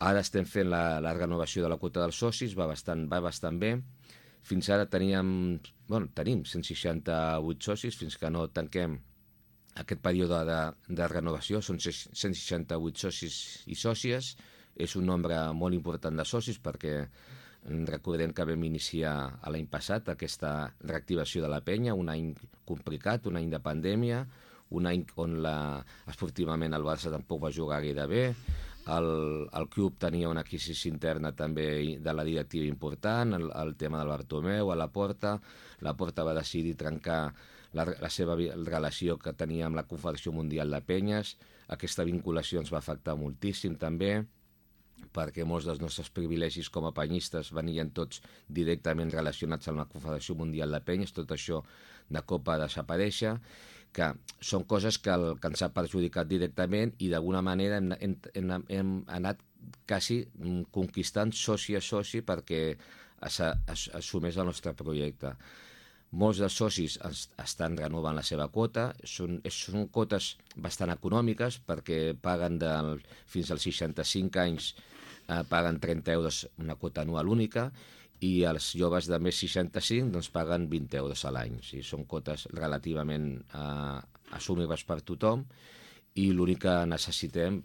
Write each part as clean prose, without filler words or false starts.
Ara estem fent la renovació de la quota dels socis, va bastant bé. Fins ara tenim 168 socis, fins que no tanquem aquest període de renovació. Són 168 socis i sòcies. És un nombre molt important de socis perquè recordem que vam iniciar l'any passat aquesta reactivació de la penya, un any complicat, un any de pandèmia, un any on esportivament el Barça tampoc va jugar gaire bé, el club tenia una crisi interna també de la directiva important, el tema del Bartomeu a la Porta va decidir trencar la seva relació que tenia amb la Confederació Mundial de Penyes. Aquesta vinculació ens va afectar moltíssim també, perquè molts dels nostres privilegis com a penyistes venien tots directament relacionats amb la Confederació Mundial de Penyes. Tot això de cop va desaparèixer, que són coses que ens ha perjudicat directament, i d'alguna manera hem anat quasi conquistant soci a soci perquè assumeix el nostre projecte. Molts dels socis estan renovant la seva quota, són quotes bastant econòmiques perquè paguen fins als 65 anys, paguen 30 euros una quota anual única, i els joves de més 65 doncs paguen 20 euros a l'any. O sigui, són quotes relativament assumibles per tothom, i l'únic que necessitem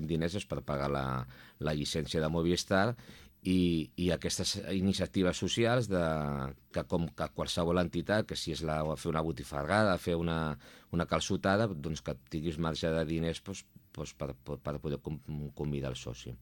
diners és per pagar la llicència de Movistar i aquestes iniciatives socials que com que qualsevol entitat, que si és fer una botifarrada, fer una calçotada, doncs que tinguis marge de diners per poder convidar el soci.